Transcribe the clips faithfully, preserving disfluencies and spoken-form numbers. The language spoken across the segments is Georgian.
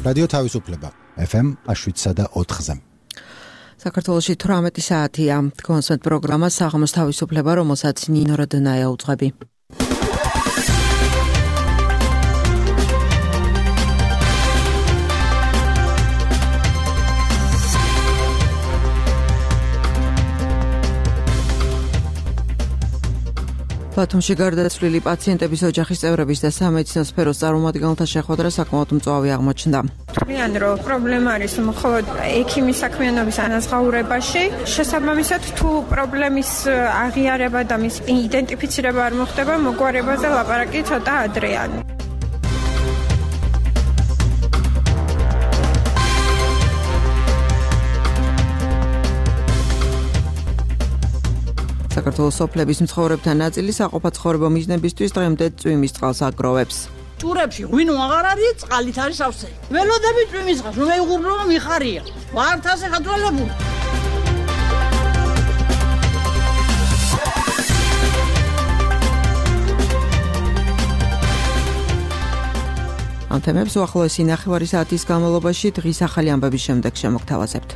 რადიო თავისუფლება ეფ ემ შვიდსა და ოთხზე. საქართველოში თვრამეტი საათია. კონსერტ პროგრამა საღამოს თავისუფლება, რომელსაც ნინო როდნაია უძღვები. ბათუმში გარდაცვლილი პაციენტების ოჯახის წევრების და სამედიცინო სფეროს წარმომადგენელთა შეხვედრა საკმაოდ მწვავე აღმოჩნდა. Თქვენ რომ პრობლემა არის მხოლოდ ექიმის საქმიანობის ანაზღაურებაში, შესაბამისად თუ პრობლემის აღიარება და მის იდენტიფიცირება არ მოხდება, მოგვარებაზე ლაპარაკი ცოტა ადრეა. საქართველოს სოფლების მცხოვრებთა ნაწილი საყოფაცხოვრებო მიზნებისთვის დღემდე წვიმის წყალს აგროვებს. ჭურებში ღვინო აღარ არის, წყალით არის ავსე. ველოდები წვიმის წყალს, რომ მეუღურნობა მიხარია. ვართ ასე ხათვალებული. ამ თემებს უახლოესი ნახევარი საათის განმავლობაში დღის ახალი ამბების შემდეგ შემოგთავაზებთ.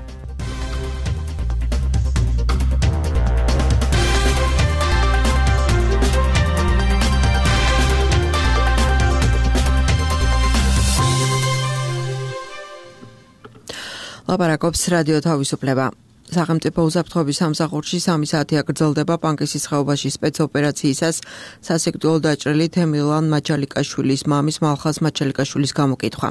ლაპარაკობს რადიო თავისუფლება. სახელმწიფო უსაფრთხოების სამსახურში სამი საათი აგრძელდება პანკისის ხეობაში სპეცოპერაციისას სასიკვდილო დაჭრილი თემილან მაჩალიკაშვილის მამის მალხაზ მაჩალიკაშვილის გამოკითხვა.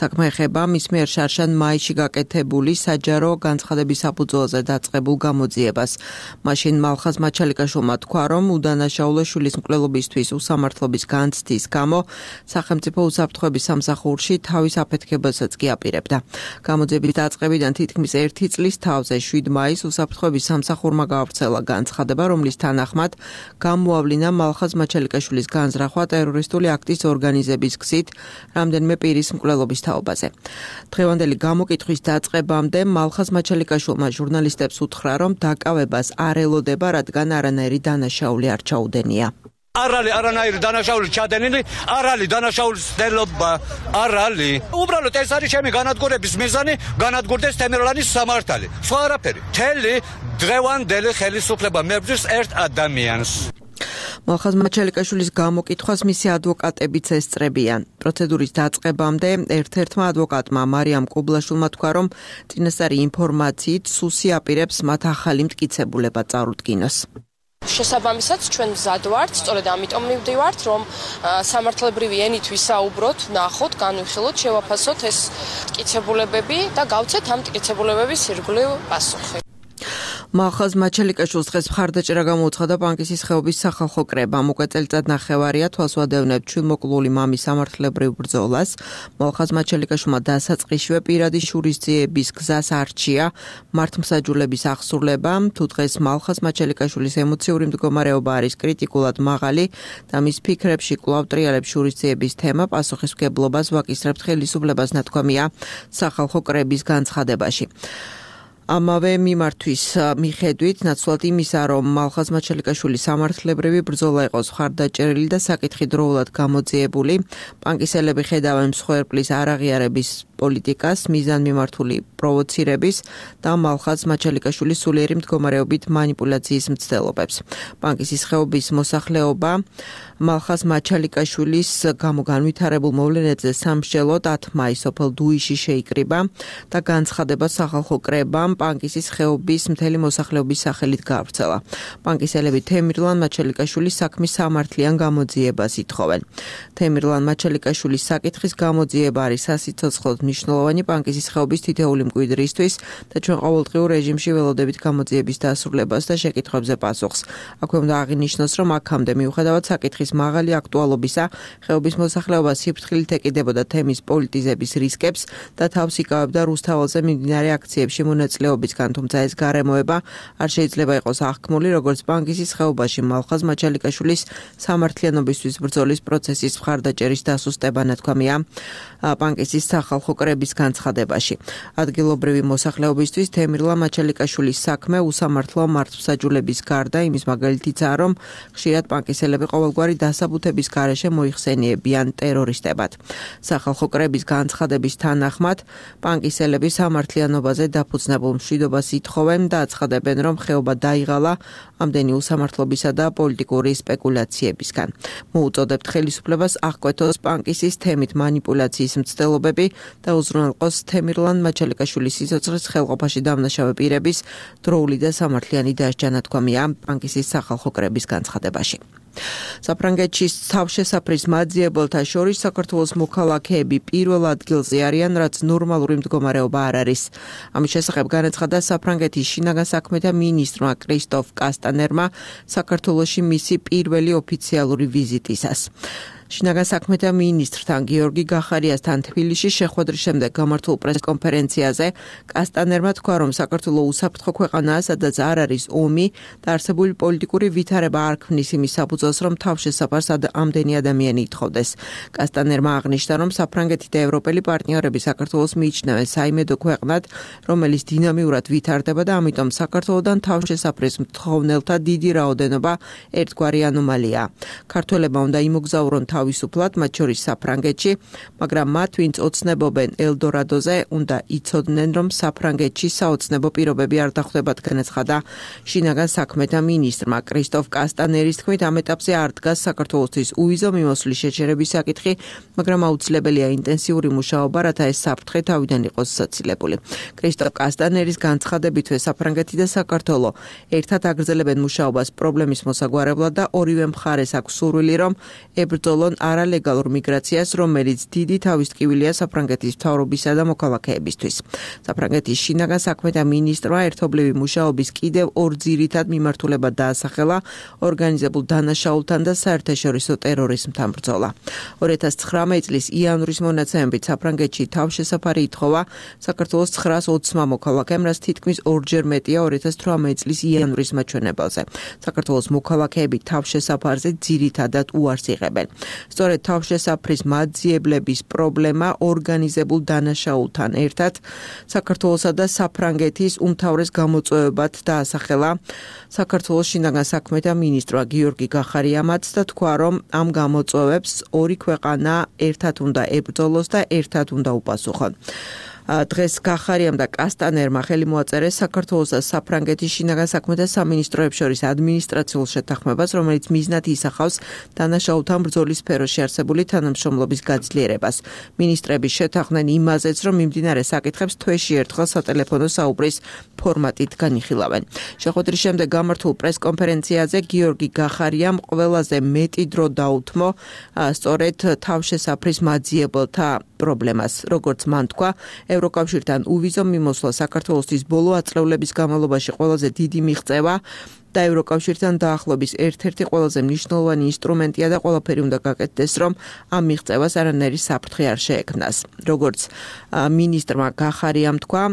საქმე ეხება მის მიერ შარშან მაისში გაკეთებული საჯარო განცხადების საფუძველზე დაწყებულ გამოძიებას. მაშინ მალხაზ მაჩალიკაშვილმა თქვა, რომ უდანაშაულო შვილის მკვლელობისთვის უსამართლობის განცდის გამო სახელმწიფო უსაფრთხოების სამსახურში თავის აფეთქებასაც კი აპირებდა. გამოძიების დაწყებიდან თითქმის ერთი წლის თავზე შვიდ მაისს უსაფრთხოების სამსახურმა გაავრცელა განცხადება, რომლის თანახმად გამოავლინა მალხაზ მაჩალიკაშვილის განზრახვა ტერორისტული აქტის ორგანიზების გზით რამდენიმე პირის მკვლელობის თაობაზე. დღევანდელი გამოკითხვის დაწყებამდე მალხაზ მაჩალიკაშვილმა ჟურნალისტებს უთხრა, რომ დაკავებას არ ელოდება, რადგან არანაირი დანაშაული არ ჩაუდენია. არალი არანაირი დანაშაული ჩადენილი, არალი დანაშაულის ცდელობა, არალი. უბრალოდ ეს არის ჩემი განადგურების მიზანი, განადგურდეს თემირლანის სამართალი. სხვა არაფერი. მთელი დღევანდელი ხელისუფლება მებრძვის ერთ ადამიანს. მალხაზ მაჩალიკაშვილის გამოკითხვას მისი ადვოკატებიც ესწრებიან. პროცედურის დაწყებამდე ერთ-ერთმა ადვოკატმა მარიამ კუბლაშვილმა თქვა, რომ წინასწარი ინფორმაციით სუსი აპირებს მათ ახალი მტკიცებულება წარუდგინოს. შესაბამისად ჩვენ მზად ვართ, სწორედ ამიტომ მივდივართ, რომ სამართლებრივი ენით ვისაუბროთ, ნახოთ, განვიხილოთ, შევაფასოთ ეს მტკიცებულებები და გავცეთ ამ მტკიცებულებების ირგვლივ პასუხი. მალხაზ მაჩალიკაშვილს დღეს მხარდაჭერა გამოუცხადა პანკისის ხეობის სახალხო კრებამ. უკვე წელიწად ნახევარია თვალს ვადევნებთ ჩვილმოკლული მამის სამართლებრივ ბრძოლას. მალხაზ მაჩალიკაშვილმა დასაწყისშივე პირადი შურისძიების გზას არჩია მართლმსაჯულების აღსრულება. თუ დღეს მალხაზ მაჩალიკაშვილის ემოციური მდგომარეობა არის კრიტიკულად მაღალი და მის ფიქრებში კვლავ ტრიალებს შურისძიების თემა, პასუხისმგებლობას ვაკისრებთ ხელისუფლებას, ნათქვამია სახალხო კრების განცხადებაში. ამავე მიმართვის მიხედვით ნაცვლად იმისა, რომ მალხაზ მაჩალიკაშვილის სამართლებრივი ბრძოლა იყოს მხარდაჭერილი და საკითხი დროულად გამოძიებული, პანკისელები ხედავენ მსხვერპლის არაღიარების პოლიტიკას, მიზანმიმართული პროვოცირების და მალხაზ მაჩალიკაშვილის სულიერი მდგომარეობით მანიპულაციის მცდელობებს. პანკისის ხეობის მოსახლეობა მალხაზ მაჩალიკაშვილის გამო განვითარებულ მოვლენებზე სამსჯელოდ ათ მაისს სოფელ დუიში შეიკრიბა და განცხადება სახალხო კრებამ პანკისის ხეობის მთელი მოსახლეობის სახელით გაავრცელა. პანკისელები თემირლან მაჩალიკაშვილის საქმის სამართლიან გამოძიებას ითხოვენ. თემირლან მაჩალიკაშვილის საკითხის გამოძიება არის სასიცოცხლოდ მნიშვნელოვანი პანკისის ხეობის თითეული მკვიდრისთვის და ჩვენ ყოველდღიურ რეჟიმში ველოდებით გამოძიების დასრულებას და შეკითხვებზე პასუხს. აქვე უნდა აღინიშნოს, რომ აქამდე მიუხედავად საკითხის მაღალი აქტუალობისა, ხეობის მოსახლეობა სიფრთხილით ეკიდებოდა თემის პოლიტიზების რისკებს და თავს იკავებდა რუსთაველზე მიმდინარე აქციებში მონაწილეობის მოსახლეობისგან, თუმცა ეს გარემოება არ შეიძლება იყოს აღქმული, როგორც პანკისის ხეობაში მალხაზ მაჩალიკაშვილის სამართლიანობისთვის ბრძოლის პროცესის მხარდაჭერის დასუსტება ნათქვამია პანკისის სახალხო კრების განცხადებაში. ადგილობრივი მოსახლეობისთვის თემირლა მაჩალიკაშვილის საქმე უსამართლო მართლმსაჯულების გარდა იმის მაგალითიცაა, რომ ხშირად პანკისელები ყოველგვარი დასაბუთების გარეშე მოიხსენიებიან ტერორისტებად. სახალხო კრების განცხადების თანახმად პანკისელები სამართლიანობაზე დაფუძნებულ მშვიდობას ითხოვენ და აცხადებენ, რომ ხეობა დაიღალა ამდენი უსამართლობისა და პოლიტიკური სპეკულაციებისგან. მოუწოდებთ ხელისუფლებას აღკვეთოს პანკისის თემით მანიპულაციის მცდელობები და უზრუნველყოს თემირლან მაჩალიკაშვილის სიცოცხლის ხელყოფაში დამნაშავე პირების დროული და სამართლიანი დასჯა ნათქვამია პანკისის სახალხო კრების განცხადებაში. საფრანგეთში თავშესაფრის მაძიებელთა შორის საქართველოს მოქალაქეები პირველ ადგილზე არიან, რაც ნორმალური მდგომარეობა არ არის. ამის შესახებ განაცხადა საფრანგეთის შინაგან საქმეთა მინისტრმა კრისტოფ კასტანერმა საქართველოში მისი პირველი ოფიციალური ვიზიტისას. შინაგან საქმეთა მინისტრთან გიორგი გახარიასთან თბილისში შეხვედრის შემდეგ გამართულ პრესკონფერენციაზე კასტანერმა თქვა, რომ საქართველო უსაფრთხო ქვეყანაა, სადაც არ არის ომი და არსებული პოლიტიკური ვითარება არ ქმნის იმის საფუძველს, რომ თავშესაფარს ამდენი ადამიანი ითხოვდეს. კასტანერმა აღნიშნა, რომ საფრანგეთი და ევროპელი პარტნიორები საქართველოს მიიჩნევენ საიმედო ქვეყნად, რომელიც დინამიურად ვითარდება და ამიტომ საქართველოდან თავშესაფრის მთხოვნელთა დიდი რაოდენობა ერთგვარი ანომალიაა. ქართველებმა უნდა იმოგზაურონ თავისუფლად, მათ შორის საფრანგეთში, მაგრამ მათ, ვინც ოცნებობენ ელდორადოზე, უნდა იცოდნენ, რომ საფრანგეთში საოცნებო პირობები არ დახვდებათ, განაცხადა შინაგან საქმეთა მინისტრმა კრისტოფ კასტანერის თქმით, ამ ეტაპზე არ დგას საქართველოსთვის უვიზო მიმოსვლის შეჩერების საკითხი, მაგრამ აუცილებელია ინტენსიური მუშაობა, რათა ეს საფრთხე თავიდან იყოს საცილებული. კრისტოფ კასტანერის განცხადებითვე საფრანგეთი და საქართველო ერთად აგრძელებენ მუშაობას პრობლემის მოსაგვარებლად და ორივე მხარეს აქვს სურვილი, რომ ებრძოლონ არალეგალურ მიგრაციას, რომელიც დიდი თავისტკივილია საფრანგეთის მთავრობისა და მოქალაქეებისთვის. საფრანგეთის შინაგან საქმეთა მინისტრმა ერთობლივი მუშაობის კიდევ ორ ძირითად მიმართულებად დაასახელა ორგანიზებულ დანაშაულთან და საერთაშორისო ტერორიზმთან ბრძოლა. ორი ათას ცხრამეტი წლის იანვრის მონაცემებით საფრანგეთში თავშესაფარი ითხოვა საქართველოს ცხრაას ოცმა მოქალაქემ, რაც თითქმის ორჯერ მეტია ორი ათას თვრამეტი წლის იანვრის მაჩვენებელზე. საქართველოს მოქალაქეები თავშესაფარზე ძირითადად უარს იღებენ. სწორედ თავშესაფრის მაძიებლების პრობლემა ორგანიზებულ დანაშაულთან ერთად საქართველოსა და საფრანგეთის უმთავრეს გამოწვევებად დაასახელა საქართველოს შინაგან საქმეთა მინისტრმა გიორგი გახარიამაც და თქვა, რომ ამ გამოწვევებს ორი ქვეყანა ერთად უნდა ებრძოლოს და ერთად უნდა უპასუხონ. დღეს გახარიამ და კასტანერმა ხელი მოაწერეს საქართველოს და საფრანგეთის შინაგან საქმეთა სამინისტროებს შორის ადმინისტრაციულ შეთანხმებას, რომელიც მიზნად ისახავს დანაშაულთან ბრძოლის სფეროში არსებული თანამშრომლობის გაძლიერებას. მინისტრები შეთანხმდნენ იმაზეც, რომ მიმდინარე საკითხებს თვეში ერთხელ სატელეფონო საუბრის ფორმატით განიხილავენ. შეხვედრის შემდეგ გამართულ პრესკონფერენციაზე გიორგი გახარიამ ყველაზე მეტი დრო დაუთმო სწორედ თავშესაფრის მაძიებელთა პრობლემას, როგორც მან თქვა, ევროკავშირთან უვიზო მიმოსვლა საქართველოსთვის ბოლო ათწლეულების განმავლობაში ყველაზე დიდი მიღწევა და ევროკავშირთან დაახლოების ერთ-ერთი ყველაზე მნიშვნელოვანი ინსტრუმენტია და ყველაფერი უნდა გაკეთდეს, რომ ამ მიღწევას არანაირი საფრთხე არ შეექმნას. როგორც მინისტრმა გახარიამ თქვა,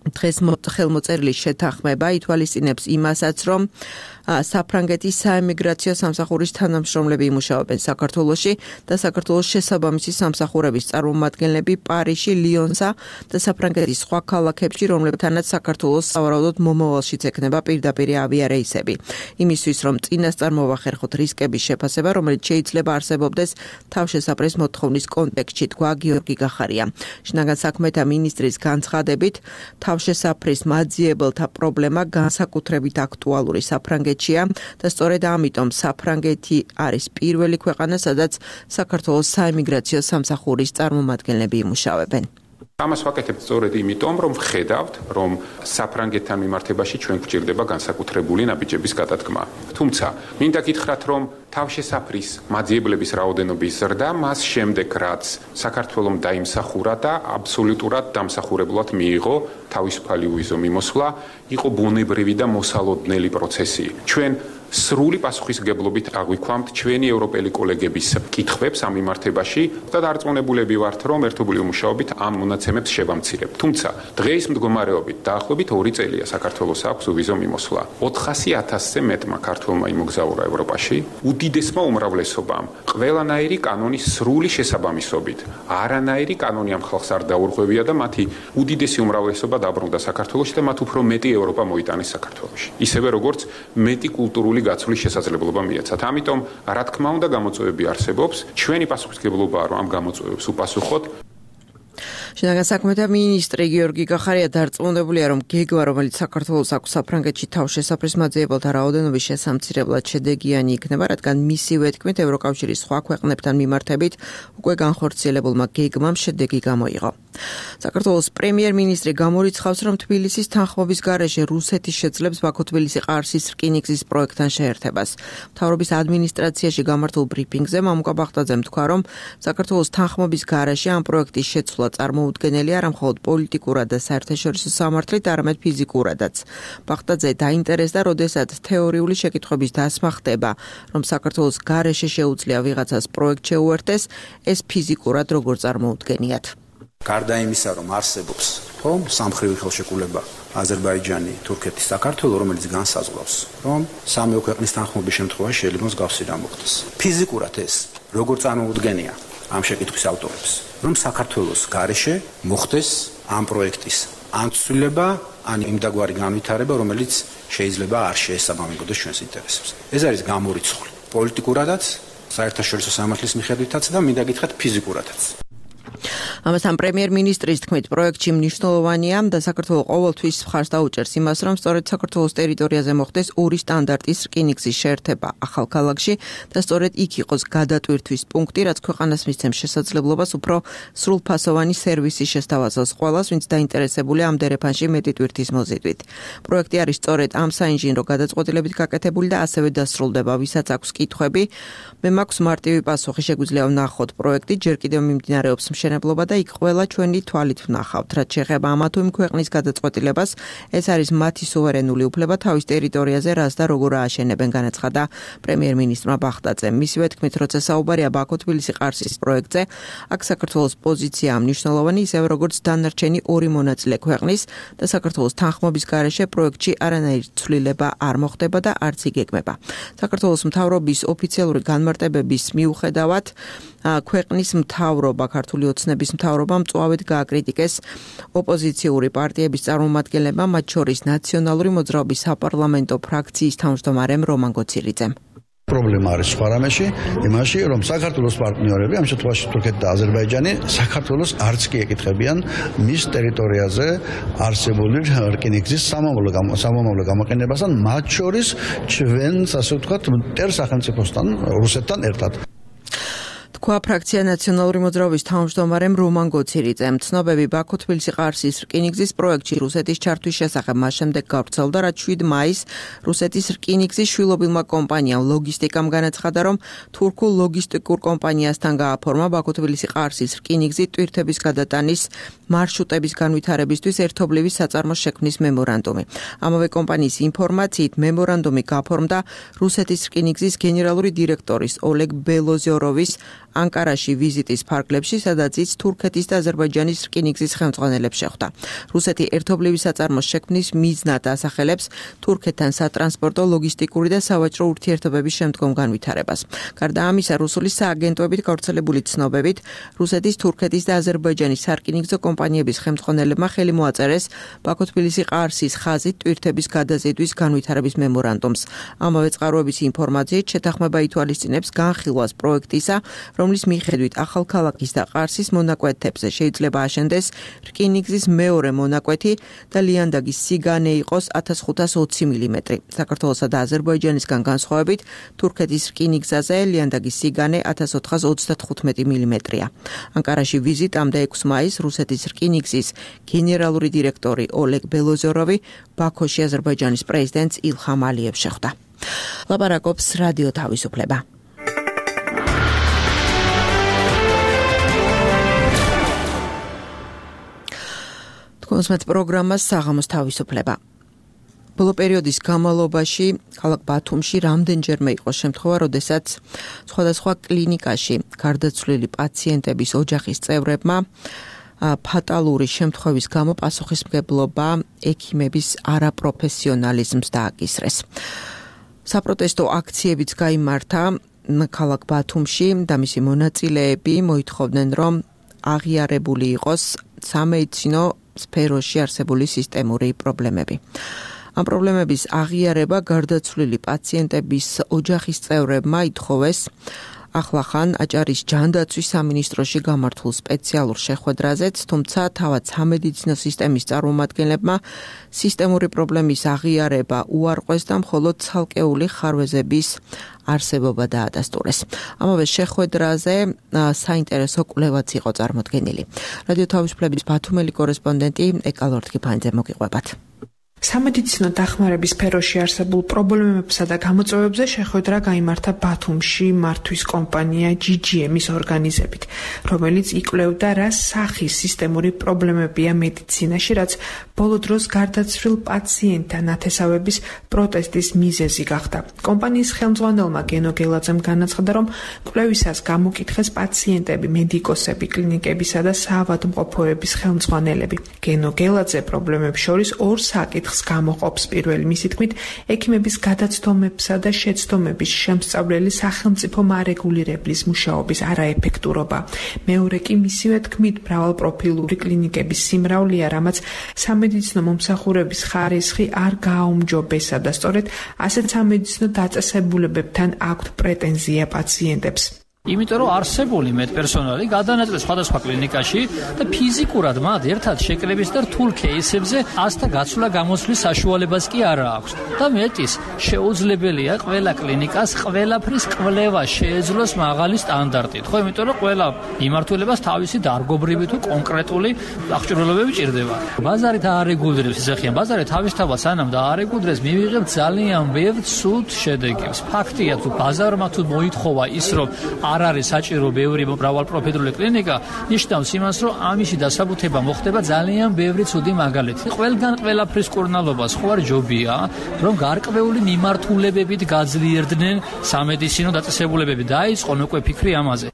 დღეს ხელმოწერილი შეთანხმება ითვალისწინებს იმასაც, რომ საფრანგეთის საემიგრაციო სამსახურის თანამშრომლები იმუშავებენ საქართველოში და საქართველოს შესაბამისი სამსახურების წარმომადგენლები პარიზში, ლიონსა და საფრანგეთის სხვა ქალაქებში, რომლებთანაც საქართველოს სავარაუდოდ მომავალშიც ექნება პირდაპირი ავიარეისები. იმისთვის, რომ წინასწარ მოვახერხოთ რისკების შეფასება, რომელიც შეიძლება არსებობდეს თავშესაფრის მოთხოვნის კონტექსტში, თქვა გიორგი გახარია. შინაგან საქმეთა მინისტრის განცხადებით, თავშესაფრის მაძიებელთა პრობლემა განსაკუთრებით აქტუალური საფრანგეთში და სწორედ ამიტომ საფრანგეთი არის პირველი ქვეყანა, სადაც საქართველოს საემიგრაციო სამსახურის წარმომადგენლები იმუშავებენ. ამას ვაკეთებთ სწორედ იმიტომ, რომ ვხედავთ, რომ საფრანგეთთან მიმართებაში ჩვენ გვჭირდება განსაკუთრებული ნაბიჯების გადადგმა. თუმცა, მინდა გითხრათ, რომ თავშესაფრის მაძიებლების რაოდენობის ზრდა მას შემდეგ, რაც საქართველომ დაიმსახურა და აბსოლუტურად დამსახურებლად მიიღო თავისუფალი უვიზო მიმოსვლა, იყო ბუნებრივი და მოსალოდნელი პროცესი. ჩვენ სრული პასუხისმგებლობით აღვიქვამთ ჩვენი ევროპელი კოლეგების კითხვებს ამ მიმართებაში და დარწმუნებულები ვართ, რომ ერთობლივი მუშაობით ამ მონაცემებს შევამცირებთ. თუმცა დღეის მდგომარეობით დაახლოებით ორი წელია საქართველოს აქვს ვიზო მიმოსვლა. ოთხასი ათასზე მეტმა ქართველმა იმოგზაურა ევროპაში, უდიდესმა უმრავლესობამ ყველანაირი კანონის სრული შესაბამისობით. არანაირი კანონი ამ ხალხს არ დაურღვევია და მათი უდიდესი უმრავლესობა დაბრუნდა საქართველოში და მათ უფრო მეტი ევროპა მოიტანეს საქართველოში. ისევე როგორც მეტი კულტურული გაცვლის შესაძლებლობა მიეცათ. ამიტომ, რა თქმა უნდა, გამოწვევები არსებობს. ჩვენი პასუხისმგებლობაა, რომ ამ გამოწვევებს უპასუხოთ. შინაგან საქმეთა მინისტრი გიორგი გახარია დარწმუნებულია, რომ გეგმა, რომელიც საქართველოს აქვს საფრანგეთში თავშესაფრის მაძიებელთა რაოდენობის შესამცირებლად შედეგიანი იქნება, რადგან მისივე თქმით ევროკავშირის სხვა ქვეყნებთან მიმართებით უკვე განხორციელებულმა გეგმამ შედეგი გამოიღო. საქართველოს პრემიერ-მინისტრი გამორიცხავს, რომ თბილისის თანხმობის გარეშე რუსეთი შეძლებს ბაქო-თბილისი-ყარსის რკინიგზის პროექტთან შეერთებას. მთავრობის ადმინისტრაციაში გამართულ ბრიფინგზე მამუკა ბახტაძემ თქვა, რომ საქართველოს თანხმობის გარეშე ამ პროექტის შეცვლა წარმოუდგენელი არა მხოლოდ პოლიტიკურად და საერთაშორისო სამართლით, არამედ ფიზიკურადაც. ბახტაძე დაინტერესდა, როდესაც თეორიული შეკითხვების დასმა ხდება, რომ საქართველოს გარეშე შეუძლია ვიღაცას პროექტ შეუერთდეს, ეს ფიზიკურად როგორ წარმოუდგენიათ. გარდა იმისა, რომ არსებობს ხომ სამხრივი ხელშეკრულება აზერბაიჯანი, თურქეთი, საქართველო, რომელიც განსაზღვრავს, რომ სამეო ქვეყნის თანხმობის შემთხვევაში შეიძლება მსგავსი რამ მოხდეს. ფიზიკურად ეს როგორ წარმოუდგენია ამ შეკითხვის ავტორებს, რომ საქართველოს გარეშე მოხდეს ამ პროექტის ან ცვლილება, ან იმდაგვარი განვითარება, რომელიც შეიძლება არ შეესაბამებოდეს ჩვენს ინტერესებს. ეს არის გამორიცხული პოლიტიკურადაც, საერთაშორისო სამართლის მიხედვითაც და მინდა გითხრათ ფიზიკურადაც. ამასთან პრემიერ-მინისტრის თქმით, პროექტში მნიშვნელოვანია და საქართველოს ყოველთვის მხარს დაუჭერს იმას, რომ სწორედ საქართველოს ტერიტორიაზე მოხდეს ორი სტანდარტის რკინიგზის შეერთება ახალ ქალაქში და სწორედ იქ იყოს გადატვირთვის პუნქტი, რაც ქვეყანას მისცემს შესაძლებლობას უფრო სრულფასოვანი სერვისის შესთავაზოს ყველას, ვინც დაინტერესებულია ამ დერეფანში მეტი ტვირთის მოზიდვით. პროექტი არის სწორედ ამ საინჟინრო გადაწყვეტილებით გაკეთებული და ასევე დასრულდება, ვისაც აქვს კითხვები. მე მაქვს მარტივი პასუხი, შეგვიძლია ვნახოთ პროექტი, ჯერ კიდევ მიმდინარეობს მშენებლობა და იქ ყველა ჩვენი თვალით ვნახავთ, რაც შეეხება ამა თუ იმ ქვეყნის გადაწყვეტილებას, ეს არის მათი სუვერენული უფლება თავის ტერიტორიაზე რას და როგორ ააშენებენ, განაცხადა პრემიერ-მინისტრმა ბახტაძემ. მისივე თქმით, როცა საუბარია ბაქო-თბილისი-ყარსის პროექტზე, აქ საქართველოს პოზიციაა მნიშვნელოვანი, ისევე როგორც დანარჩენი ორი მონაწილე ქვეყნის და საქართველოს თანხმობის გარეშე პროექტში არანაირი ცვლილება არ მოხდება და არც იგეგმება. საქართველოს მთავრობის ოფიციალური განმარტებების მიუხედავად, ქვეყნის მთავრობა, ქართული ოცნების მთავრობა მწვავედ გააკრიტიკეს ოპოზიციური პარტიების წარმომადგენლებმა, მათ შორის ნაციონალური მოძრაობის საპარლამენტო ფრაქციის თავმჯდომარემ რომან გოცირიძემ. პრობლემა არის სხვა რამეში, იმაში, რომ საქართველოს პარტნიორები, ამ შემთხვევაში თურქეთი და აზერბაიჯანი, საქართველოს არც კი ეკითხებიან მის ტერიტორიაზე არსებული რკინიგზის სამომავლო გამოყენებასთან, მათ შორის ჩვენს, ასე ვთქვათ, მტერ სახელმწიფოსთან, რუსეთთან ერთად. თქვა ფრაქცია ნაციონალური მოძრაობის თავმჯდომარემ რომან გოცირიძემ. ცნობები ბაქო-თბილისი-ყარსის რკინიგზის პროექტში რუსეთის ჩართვის შესახებ მას შემდეგ გავრცელდა, რაც შვიდ მაისს რუსეთის რკინიგზის შვილობილმა კომპანიამ ლოგისტიკამ განაცხადა, რომ თურქულ ლოგისტიკურ კომპანიასთან გააფორმა ბაქო-თბილისი-ყარსის რკინიგზი ტვირთების გადატანის მარშრუტების განვითარებისთვის ერთობლივი საწარმოს შექმნის მემორანდუმი. ამავე კომპანიის ინფორმაციით მემორანდუმი გაფორმდა რუსეთის რკინიგზის გენერალური დირექტორის ოლეგ ბელოზიოროვის ანკარაში ვიზიტის ფარგლებში, სადაც ის თურქეთის და აზერბაიჯანის რკინიგზის ხელმძღვანელებს შეხვდა. რუსეთი ერთობლივი საწარმოს შექმნის მიზნად ასახელებს თურქეთთან სატრანსპორტო, ლოგისტიკური და სავაჭრო ურთიერთობების შემდგომ განვითარებას. გარდა ამისა, რუსული სააგენტოებით გავრცელებული ცნობებით, რუსეთის, თურქეთის და აზერბაიჯანის სარკინიგზო კომპანიების ხელმძღვანელებმა ხელი მოაწერეს ბაქო-თბილისი-ყარსის ხაზით ტვირთების გადაზიდვის განვითარების მემორანდუმს. ამავე წყაროების ინფორმაციით შეთანხმება ითვალისწინებს განხილვას პროექტისა, რომლის მიხედვით ახალ ქალაქის და ყარსის მონაკვეთებზე შეიძლება აშენდეს რკინიგზის მეორე მონაკვეთი და ლიანდაგის სიგანე იყოს ათას ხუთას ოცი მილიმეტრი. საქართველოსა და აზერბაიჯანისგან განსხვავებით, თურქეთის რკინიგზაზე ლიანდაგის სიგანე ათას ოთხას ოცდათხუთმეტი მილიმეტრია. ანკარაში ვიზიტამდე ექვსი მაისს რუსეთის რკინიგზის გენერალური დირექტორი ოლეგ ბელოზიოროვი ბაქოში აზერბაიჯანის პრეზიდენტს ილხამ ალიევს შეხვდა. ლაპარაკობს რადიო თავისუფლება. თქვენს პროგრამას საღამოს თავისუფლება. ბოლო პერიოდის განმავლობაში ქალაქ ბათუმში რამდენჯერმე იყო შემთხვევა, როდესაც სხვადასხვა კლინიკაში გარდაცვლილი პაციენტების ოჯახის წევრებმა ფატალური შემთხვევის გამო პასუხისმგებლობა ექიმების არაპროფესიონალიზმს დააკისრეს. საპროტესტო აქციებიც გაიმართა ქალაქ ბათუმში და მისი მონაწილეები მოითხოვდნენ, რომ აღიარებული იყოს სამედიცინო სფეროში არსებული სისტემური პრობლემები. ამ პრობლემების აღიარება გარდაცვლილი პაციენტების ოჯახის წევრებმა ითხოვეს ახლახან აჭარის ჯანდაცვის სამინისტროში გამართულ სპეციალურ შეხვედრაზეც, თუმცა თავად სამედიცინო სისტემის წარმომადგენლებმა სისტემური პრობლემის აღიარება უარყვეს და მხოლოდ ცალკეული ხარვეზების არსებობა დაადასტურეს. ამავე შეხვედრაზე საინტერესო კვლევაც იყო წარმოდგენილი. რადიო თავისუფლების ბათუმელი კორესპონდენტი ეკა ლორთქიფანიძე მოგიყვებათ. სამედიცინო დახმარების სფეროში არსებულ პრობლემებსა და გამოწვევებზე შეხვედრა გაიმართა ბათუმში მართვის კომპანია ჯი ჯი ემის ორგანიზებით, რომელიც იკვლევდა რა სახის სისტემური პრობლემებია მედიცინაში, რაც ბოლო დროს გარდაცვლილ პაციენტთა ნათესავების პროტესტის მიზეზი გახდა. კომპანიის ხელმძღვანელმა გენო გელაძემ განაცხადა, რომ კვლევისას გამოკითხეს პაციენტები, მედიკოსები, კლინიკებისა და საავადმყოფოების ხელმძღვანელები. გენო გელაძე პრობლემებს შორის ორ საკითხს გამოყოფს. პირველი, მისი თქმით, ექიმების გადაცდომებსა და შეცდომების შემსწავლელი სახელმწიფო მარეგულირებლის მუშაობის არაეფექტურობა. მეორე კი მისივე თქმით, მრავალპროფილური კლინიკების სიმრავლეა, რამაც სამედიცინო მომსახურების ხარისხი არ გააუმჯობესა და სწორედ ასეთ სამედიცინო დაწესებულებებთან აქვთ პრეტენზია პაციენტებს. იმიტომ რომ არსებული მედპერსონალი გადანაწილეს სხვადასხვა კლინიკაში და ფიზიკურად მათ ერთად შეკრების და რთულ кейსებზე ასთა გაცვლა გამოსვლის საშუალებას კი არ აქვს. და მეტის, შეუძლებელია ყველა კლინიკას ყველაფრის კვლევა შეეძლოს მაღალი სტანდარტით. ხო, იმიტომ რომ ყველა მიმართულებას თავისი დარგობრივი თუ კონკრეტული აღჭურვილობები ჭირდება. ბაზარი დაარეგულირებს ისეხიან, ბაზარი თავისთავად სანამ დაარეგულირებს, მივიღებთ ძალიან ბევრ ცუდ შედეგებს. ფაქტია, თუ ბაზარმა თუ მოითხოვა ის, რომ არ არის საჭირო ბევრი მრავალპროფილური კლინიკა, ნიშნავს იმას, რომ ამისი დასაბუთება მოხდება ძალიან ბევრი ცუდი მაგალითი. ყველგან ყველაფრის კურნალობას ხო არ ჯობია, რომ გარკვეული მიმართულებებით გაძლიერდნენ სამედიცინო დაწესებულებები. დაიწყო უკვე ფიქრი ამაზე.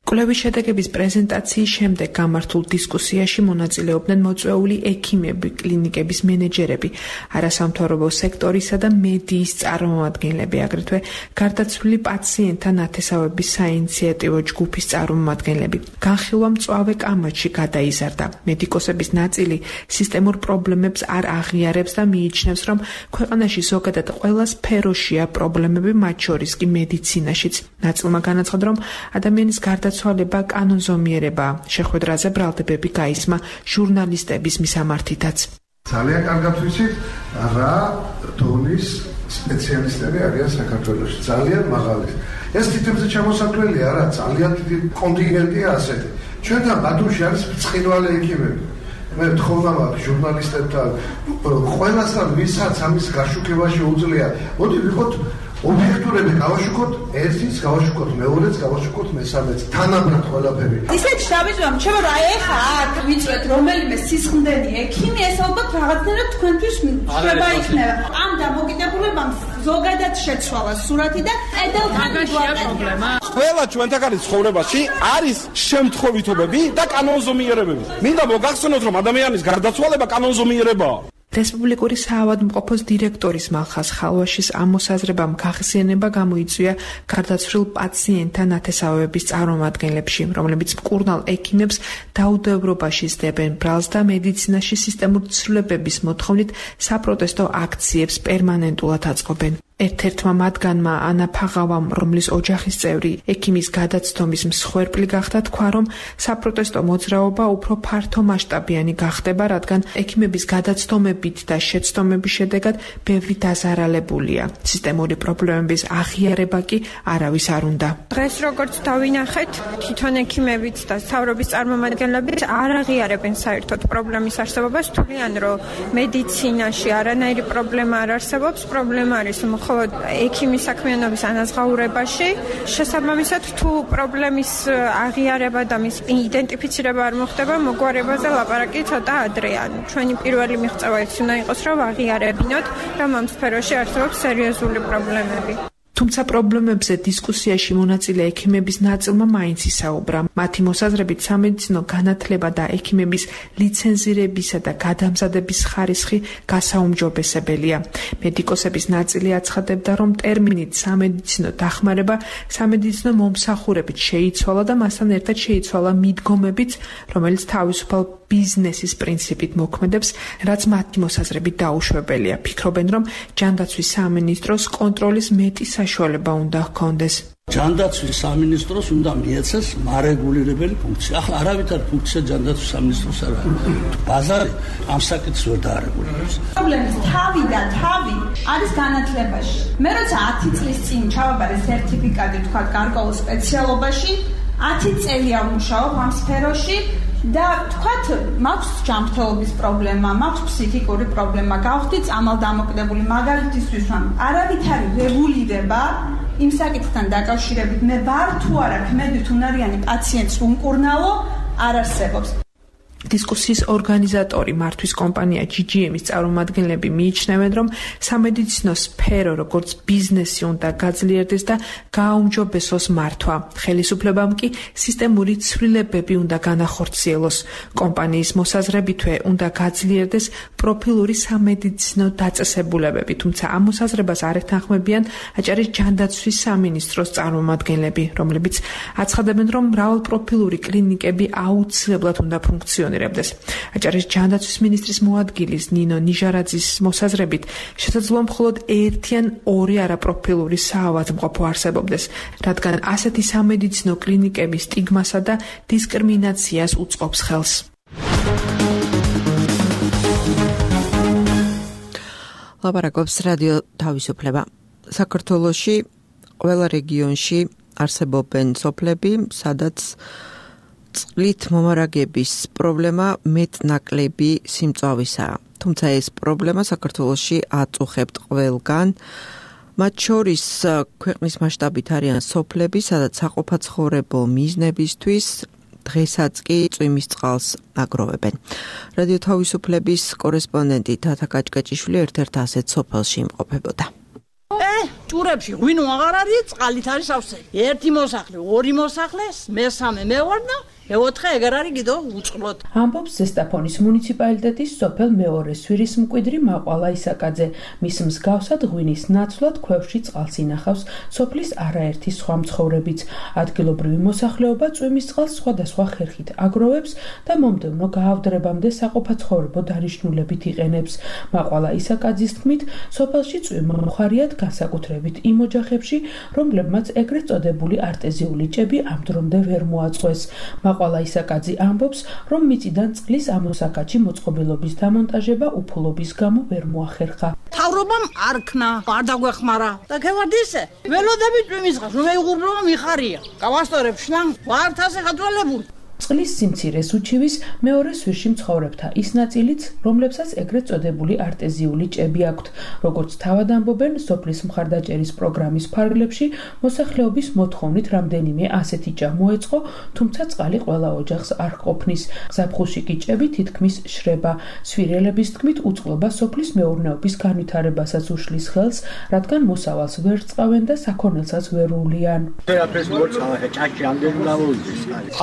კვლევის შედეგების პრეზენტაციის შემდეგ გამართულ დისკუსიაში მონაწილეობდნენ მოწვეული ექიმები, კლინიკების მენეჯერები, არასამთავრობო სექტორისა და მედიის წარმომადგენლები, აგრეთვე გარდაცვლილი პაციენტთა ნათესავების საინიციატივო ჯგუფის წარმომადგენლები. განხილვა მწვავე კამათში გადაიზარდა. მედიკოსების ნაწილი სისტემურ პრობლემებს არ აღიარებს და მიიჩნევს, რომ ქვეყანაში ზოგადად ყველა სფეროშია პრობლემები, მათ შორის კი მედიცინაშიც. ნაწილმა განაცხადა, რომ ადამიანის გარდაცვალება ცვალება კანონზომიერება. შეხვედრაზე ბრალდებები გაისმა ჟურნალისტების მისამართითაც. ძალიან კარგად ვიცით, რა დონის სპეციალისტები არიან საქართველოში. ძალიან მაღალი. ეს თითქმის ჩამოსაკლელია, რა ძალიან დიდი კონტინგენტია ასეთი. ჩვენთან ბათუმში არის ბრწყინვალე ექიმები. მე ვთხოვნა მაგ ჟურნალისტებთან, ყველასთან ვისაც ამის გაშუქება შეუძლია, მოდი ვიყოთ ობიექტურები, გავაშუქოთ ერთის, გავაშუქოთ მეორეც, გავაშუქოთ მესამეც, თანაბრად ყველაფერი. ისეთ შტაბიზმამ, ჩემო რა ეხა აქ ვიწვეთ რომელიმე სისხლდენი ექიმი, ეს ალბათ რაღაცნაირად თქვენთვის შება იქნება. ამ დამოკიდებულებამ ზოგადად შეცვალა სურათი და ედელთან პრობლემა. ყველა ჩვენთაგანის ცხოვრებაში არის შემთხვევითობები და კანონზომიერებები. მინდა მოგახსენოთ, რომ ადამიანის გარდაცვალება კანონზომიერებაა. რესპუბლიკური საავადმყოფოს დირექტორის მალხაზ ხალვაშის ამ მოსაზრებამ გახსენება გამოიწვია გარდაცვლილ პაციენტთა ნათესავების წარმომადგენლებში, რომლებიც მკურნალ ექიმებს დაუდევრობაში სდებენ ბრალს და მედიცინაში სისტემური ცვლილებების მოთხოვნით საპროტესტო აქციებს პერმანენტულად აწყობენ. ერთ-ერთმა მათგანმა ანა ფაღავამ, რომლის ოჯახის წევრი ექიმის გადაცდომის მსხვერპლი გახდა, თქვა, რომ საპროტესტო მოძრაობა უფრო ფართომასშტაბიანი გახდება, რადგან ექიმების გადაცდომებით და შეცდომების შედეგად ბევრი დაზარალებულია. სისტემური პრობლემების აღიარება კი არავის არ უნდა. დღეს როგორც დავინახეთ, თვითონ ექიმებიც და მთავრობის წარმომადგენლებიც არ აღიარებენ საერთოდ პრობლემის არსებობას, თვლიან, რომ მედიცინაში არანაირი პრობლემა არ არსებობს, პრობლემა არის მხოლოდ ექიმის საქმიანობის ანაზღაურებაში. შესაბამისად, თუ პრობლემის აღიარება და მის იდენტიფიცირება არ მოხდება, მოგვარებაზე ლაპარაკი ცოტა ადრეა. ჩვენი პირველი მიღწევა ის უნდა იყოს, რომ აღიარებინოთ, რომ ამ სფეროში არსებობს სერიოზული პრობლემები. თუმცა პრობლემებზე დისკუსიაში მონაწილე ექიმების ნაწილმა მაინც ისაუბრა. მათი მოსაზრებით სამედიცინო განათლება და ექიმების ლიცენზირებისა და გადამზადების ხარისხი გასაუმჯობესებელია. მედიკოსების ნაწილი აცხადებდა, რომ ტერმინით სამედიცინო დახმარება სამედიცინო მომსახურებით შეიცვალა და მასთან ერთად შეიცვალა მიდგომებიც, რომელიც თავისუფალ ბიზნესის პრინციპით მოქმედებს, რაც მათი მოსაზრებით დაუშვებელია. ფიქრობენ, რომ ჯანდაცვის სამინისტროს კონტროლის მეტი საშუალება უნდა ჰქონდეს. ჯანდაცვის სამინისტროს უნდა მიეცეს მარეგულირებელი ფუნქცია. ახლა არავითარ ფუნქცია ჯანდაცვის სამინისტროს არ არის. ბაზარი ამ საკითხს ვერ დაარეგულირებს. პრობლემის თავი და თავი არის განათლებაში. მე როცა ათი წლის წინ ჩავაბარე სერტიფიკატი თქვა გარკვეულ სპეციალობაში, ათი წელია ვმუშაობ ამ სფეროში. და თქვათ, მაქვს ჯანმრთელობის პრობლემა, მაქვს ფსიქიკური პრობლემა, გავხდი წამალდამოკიდებული მაგალითისთვის, რომ არავითარი რეგულირება იმ საკითხთან დაკავშირებით მე ვარ თუ არა ქმედით უნარიანი პაციენტს უმკურნალო არ არსებობს. დისკუსიის ორგანიზატორი მართვის კომპანია ჯი ჯი ემის წარმომადგენლები მიიჩნევენ, რომ სამედიცინო სფერო როგორც ბიზნესი უნდა გაძლიერდეს და გააუმჯობესოს მართვა. ხელისუფლებამ კი სისტემური ცვლილებები უნდა განახორციელოს. კომპანიის მოსაზრებითვე უნდა გაძლიერდეს პროფილური სამედიცინო დაწესებულებები, თუმცა ამ მოსაზრებას არ ეთანხმებიან აჭარის ჯანდაცვის სამინისტროს წარმომადგენლები, რომლებიც აცხადებენ, რომ მრავალპროფილური კლინიკები აუცილებლად უნდა ფუნქციონირდეს. აჭარის ჯანდაცვის მინისტრის მოადგილის ნინო ნიჟარაძის მოსაზრებით შესაძლოა მხოლოდ ერთი ან ორი არაპროფილური საავადმყოფო არსებობდეს, რადგან ასეთი სამედიცინო კლინიკები სტიგმასა და დისკრიმინაციას უწყობს ხელს. ლაპარაკობს რადიო თავისუფლება. საქართველოში ყველა რეგიონში არსებობენ სოფლები, სადაც წყლით მომარაგების პრობლემა მეტნაკლები სიმწვავისაა. თუმცა ეს პრობლემა საქართველოში აწუხებთ ყველგან. მათ შორის ქვეყნის მასშტაბით არიან სოფლები, სადაც საყოფაცხოვრებო მიზნებისთვის დღესაც კი წვიმის წყალს აგროვებენ. რადიო თავისუფლების კორესპონდენტი თათა კაჭკაჭიშვილი ერთ-ერთ ასეთ სოფელში იმყოფებოდა. ე, ჭურებში ღვინო აღარ არის, წყალით არის ავსე. ერთი მოსახლე, ორი მოსახლე, მესამე მე ვარ და მეოთხე ეგარ არის კიდევ უწყლოდ. ამბობს ზესტაფონის მუნიციპალიტეტის სოფელ მეორე სვირის მკვიდრი მაყვალა ისაკაძე. მის მსგავსად ღვინის ნაცვლად ქვევში წყალს ინახავს სოფლის არაერთი სხვა მცხოვრებიც. ადგილობრივი მოსახლეობა წვიმის წყალს სხვადასხვა ხერხით აგროვებს და მომდევნო გაავდრებამდე საყოფაცხოვრებო დანიშნულებით იყენებს. მაყვალა ისაკაძის თქმით, სოფელში წვიმა მხარიათ განსაკუთრებით იმ ოჯახებში, რომლებმაც ეგრეთ წოდებული არტეზიული ჭები ამ დრომდე ვერ მოაწყვეს. მაყვალა ისაკაძე ამბობს, რომ მიწიდან წყლის ამოსაკაჩი მოწყობილობის დამონტაჟება უფულობის გამო ვერ მოახერხა. თავრობამ არ ქნა, არ დაგვეხმარა. და ქევარდ ისე, ველოდები წვიმის წყალს, რომ ეუღურბლობა მიხარია. გავასწორებ შლანგ, ვართ ასე გადვალებული. წყლის სიმცირეს უჩივის მეორე სვირში მცხოვრებთა ის ნაწილიც, რომლებსაც ეგრეთ წოდებული არტეზიული ჭები აქვთ. როგორც თავად ამბობენ, სოფლის მხარდაჭერის პროგრამის ფარგლებში მოსახლეობის მოთხოვნით რამდენიმე ასეთი ჭა მოეწყო, თუმცა წყალი ყველა ოჯახს არ ყოფნის. ზაფხულში კი ჭები თითქმის შრება. სვირელების თქმით, უწყლობა სოფლის მეურნეობის განვითარებასაც უშლის ხელს, რადგან მოსავალს ვერ წყავენ და საქონელსაც ვერ უვლიან.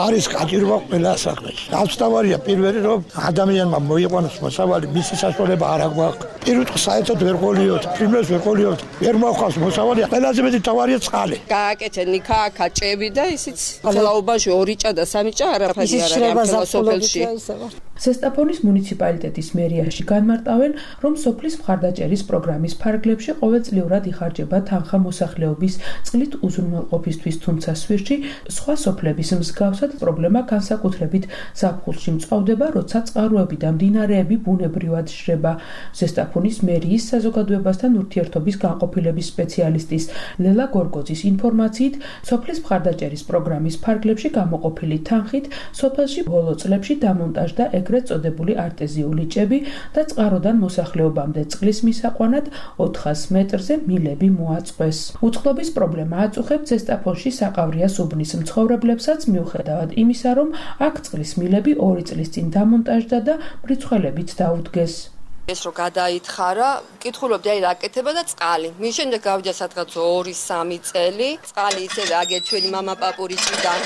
არის კაჭი ყველა საქმეში. თავსთავარია პირველი, რომ ადამიანმა მოიყვანოს მოსავალი, მისი საშუალება არ აქვს. პირველ რიგში საერთოდ ვერ ყოლიოთ, პრიმერს ვერ ყოლიოთ, ვერ მოხავს მოსავალი, ყველაზე მეტი თავარია წყალი. გააკეთე ნიქა, კაჭები და ისიც ძალაობაში ორი ჭა და სამი ჭა არაფერი არ არის ამ სოფელში. ზესტაფონის მუნიციპალიტეტის მერიაში განმარტავენ, რომ სოფლის მხარდაჭერის პროგრამის ფარგლებში ყოველწლიურად იხარჯება თანხა მოსახლეობის წყლით უზრუნველყოფისთვის, თუმცა სვირში სხვა სოფლების მსგავსად პრობლემა განსაკუთრებით ზაფხულში მწყავდება, როცა წყაროები და მდინარეები ბუნებრივად შრება. ზესტაფონის მერიის საზოგადოებასთან ურთიერთობის განყოფილების სპეციალისტის ლელა გორგოძის ინფორმაციით, სოფლის მხარდაჭერის პროგრამის ფარგლებში გამოყოფილი თანხით სოფელში ბოლო წლებში დამონტაჟდა ეგრეთ წოდებული არტეზიული ჭები და წყაროდან მოსახლეობამდე წყლის მისაყვანად ოთხას მეტრზე მილები მოაწყვეს. უწყლობის პრობლემა აწუხებს ზესტაფონში საყავრიას უბნის მცხოვრებლებსაც მიუხედავად იმისა, რომ აქ წყლის მილები ორი წლის წინ დამონტაჟდა და მრიცხველებით დაუდგეს. ეს რო გადაითხარა, კითხულობდი აი რაკეთება და წყალი. მის შემდეგ გავიდა სადღაც ორი სამი წელი, წყალი ისევე აგერ ჩვენი мама პაპურიჭიდან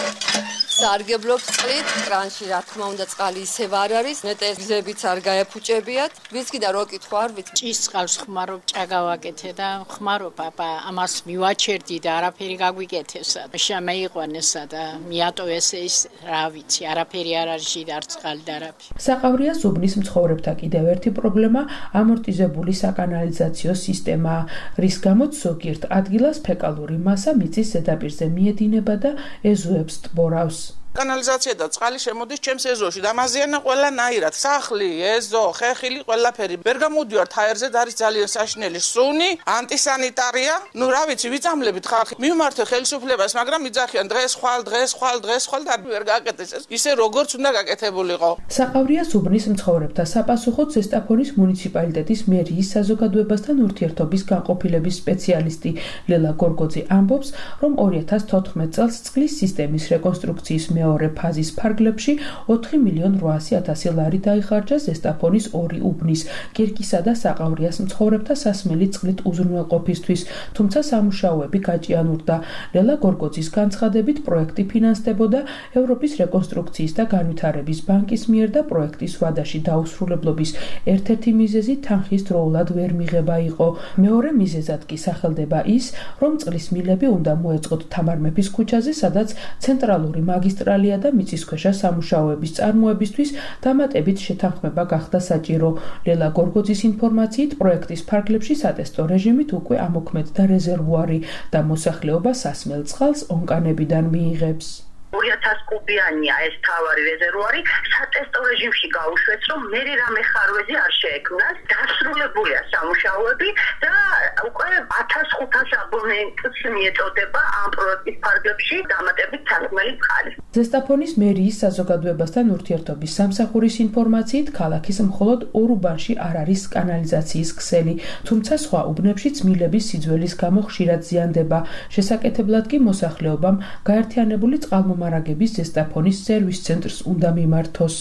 სარგებლობს წყლით, კრანში რა თქმა უნდა წყალი ისევ არ არის, ნეტეზებიც არ გაეფუჭებიათ. ვიცი და რო კითხო არ ვიცი. ჭის წყალს ხმარობ ჭაგავაკეთე და ხმარო პაპა, ამას მივაჩერდი და არაფერი გაგვიკეთესა. შემეიყვანესა და მიატოვეს ეს, რა ვიცი, არაფერი არ არის და არც წყალი და არაფერი. საყავრიას უბნის მცხოვრებთა კიდევ ერთი პრობლემა ამორტიზებული საკანალიზაციო სისტემაა, რის გამოც ზოგიერთ ადგილას ფეკალური მასა მიწის ზედაპირზე მიედინება და ეზოებს ტბორავს. კანალიზაცია და წყალი შემოდის ჩემს ეზოში და ამაზიანა ყველანაირად. სახლი, ეზო, ხეხილი, ყველაფერი. ვერ გამოდივართ ჰაერზე და არის ძალიან საშინელი სუნი, ანტისანიტარია. ნუ რა ვიცი, ვიწამლებით ხალხი. მივმართე ხელისუფლებას, მაგრამ იძახიან დღეს ხვალ, დღეს ხვალ, დღეს ხვალ და ვერ გააკეთეს. ისე როგორც უნდა გაკეთებულიყო. საყავრიას უბნის მცხოვრებთა საპასუხოდ ზესტაფონის მუნიციპალიტეტის მერიის საზოგადოებასთან ურთიერთობის განყოფილების სპეციალისტი ლელა გორგოძე ამბობს, რომ ორი ათას თოთხმეტ წელს წყლის სისტემის რეკონსტრუქციის მეორე ფაზის ფარგლებში ოთხი მილიონი რვაასი ათასი ლარი დაიხარჯა ზესტაფონის ორი უბნის, კირკისა და საყავრიას მცხოვრებთა სასმელი წყლით უზრუნველყოფისთვის, თუმცა სამუშაოები გაჭიანურდა. ლელა გორგოძის განცხადებით პროექტი ფინანსდებოდა ევროპის რეკონსტრუქციის და განვითარების ბანკის მიერ და პროექტის ვადაში დაუსრულებლობის ერთ-ერთი მიზეზი თანხის დროულად ვერ მიღება იყო. მეორე მიზეზად კი სახელდება ის, რომ წყლის მილები უნდა მოეწყოთ თამარ მეფის ქუჩაზე, სადაც ცენტრალური მაგისტრალი და მიწისქვეშა სამუშაოების წარმოებისთვის დამატებით შეთანხმება გახდა საჭირო. ლელა გორგოძის ინფორმაციით პროექტის ფარგლებში სატესტო რეჟიმით უკვე ამოქმედდა რეზერვუარი და მოსახლეობა სასმელ წყალს ონკანებიდან მიიღებს. ორი ათას კუბიანია ეს თავარი რეზერვუარი, სატესტო რეჟიმში გაუშვეს, რომ მე რამე ხარვეზე არ შეექმნას, დასრულებულია სამუშაოები და უკვე ათას ხუთას აბონენტს მიეწოდება ამ პროექტის ფარგლებში დამატებით სასმელი წყალი. ზესტაფონის მერიის საზოგადოებასთან ურთიერთობის სამსახურის ინფორმაციით, ქალაქის მხოლოდ ორ უბანში არ არის კანალიზაციის ქსელი, თუმცა სხვა უბნებშიც მილების სიძველის გამო ხშირად ზიანდება. შესაკეთებლად კი მოსახლეობამ გაერთიანებული წყალმომარაგების ზესტაფონის სერვის ცენტრს უნდა მიმართოს.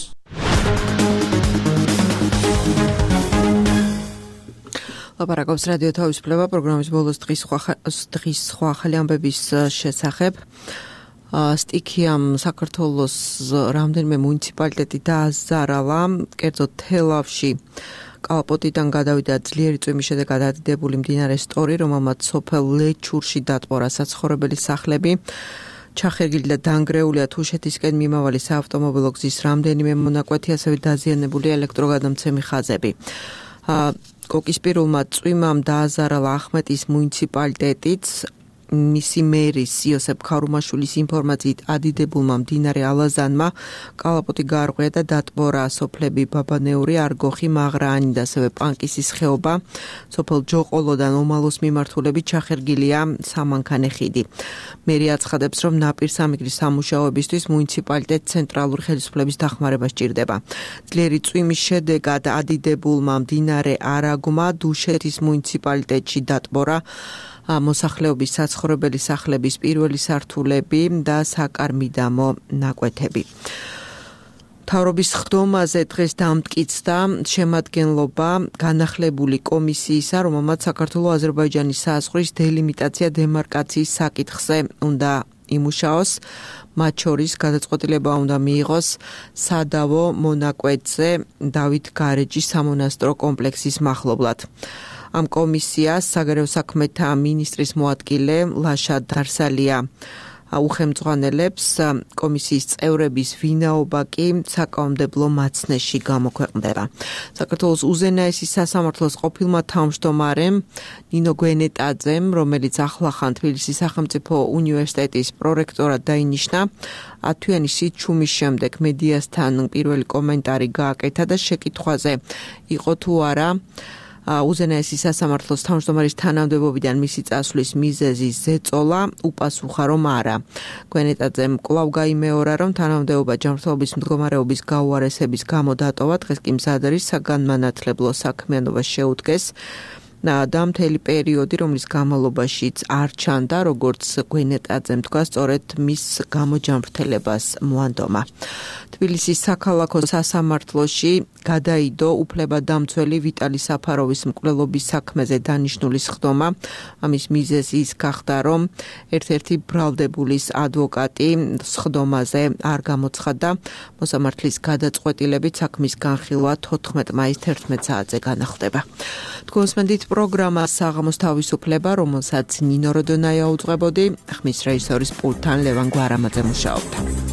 ლაპარაკობს რადიო თავისუფლება პროგრამის ბოლოს დღის სხვა დღის სხვა ახალი ამბების შესახებ. სტიქიამ საქართველოს რამდენიმე მუნიციპალიტეტი დააზარალა, კერძოდ თელავში კალაპოტიდან გადავიდა ძლიერი წვიმის შედეგად ადიდებული მდინარე სტორი, რომელმაც სოფელ ლეჩურში დატბორა საცხოვრებელი სახლები. ჩახერგილი და დანგრეულია თუშეთისკენ მიმავალი საავტომობილო გზის რამდენიმე მონაკვეთი, ასევე დაზიანებული ელექტროგადამცემი ხაზები. კოკისპირულმა წვიმამ დააზარალა ახმეტის მუნიციპალიტეტიც, მისი მერის იოსებ ქარუმაშვილის ინფორმაციით ადიდებულმა მდინარე ალაზანმა კალაპოტი გაარღვია და დატბორა სოფლები ბაბანეური, არგოხი, მაღრაანი და ასევე პანკისის ხეობა. სოფელ ჯოყოლოდან ომალოს მიმართულებით ჩახერგილია სამანქანე ხიდი. მერი აცხადებს, რომ ნაპირსამიგრის სამუშაოებისთვის მუნიციპალიტეტ ცენტრალური ხელისუფლების დახმარება სჭირდება. ძლიერი წვიმის შედეგად ადიდებულმა მდინარე არაგმა დუშეთის მუნიციპალიტეტში დატბორა მოსახლეობის საცხოვრებელი სახლების პირველი სართულები და საკარმიდამო ნაკვეთები. მთავრობის ხდომაზე დღეს დამტკიცდა შემადგენლობა განახლებული კომისიისა, რომელმაც საქართველო-აზერბაიჯანის საზღვრის დელიმიტაცია დემარკაციის საკითხზე უნდა იმუშაოს. მათ შორის გადაწყვეტილება უნდა მიიღოს სადავო მონაკვეთზე დავით გარეჯის სამონასტრო კომპლექსის მახლობლად. ამ კომისიას საგარეო საქმეთა მინისტრის მოადგილე ლაშა დარსალია უხელმძღვანელებს, კომისიის წევრების ვინაობა კი საკანონმდებლო მაცნეში გამოქვეყნდება. საქართველოს უზენაესი სასამართლოს ყოფილმა თავმჯდომარემ ნინო გვენეტაძემ, რომელიც ახლახან თბილისის სახელმწიფო უნივერსიტეტის პრორექტორად დაინიშნა, ათვიანი სიჩუმის შემდეგ მედიასთან პირველი კომენტარი გააკეთა და შეკითხვაზე იყო თუ არა უზენაესი სასამართლოს თავმჯდომარის თანამდებობიდან მისი წასვლის მიზეზი ზეწოლა უპასუხა, რომ არა. გვენეტაძემ კვლავ გაიმეორა, რომ თანამდებობა ჯანმრთელობის მდგომარეობის გაუარესების გამო დატოვა, დღეს კი მზად არის საგანმანათლებლო საქმიანობა შეუდგეს და მთელი პერიოდი, რომლის განმავლობაშიც არ ჩანდა, როგორც გვენეტაძემ თქვა, სწორედ მის გამოჯანმრთელებას მოანდომა. თბილისის საქალაქო სასამართლოში გადაიდო უფლებადამცველი ვიტალი საფაროვის მკვლელობის საქმეზე დანიშნული სხდომა. ამის მიზეზი ის გახდა, რომ ერთ-ერთი ბრალდებულის ადვოკატი სხდომაზე არ გამოცხადდა. მოსამართლის გადაწყვეტილებით საქმის განხილვა თოთხმეტ მაისს თერთმეტ საათზე განახლდება. თქვენსმენდით პროგრამა საღამოს თავისუფლება, რომელსაც ნინო როდონაია უძღვებოდი, ხმის რეჟისორის პულტთან ლევან გვარამაძე მუშაობდა.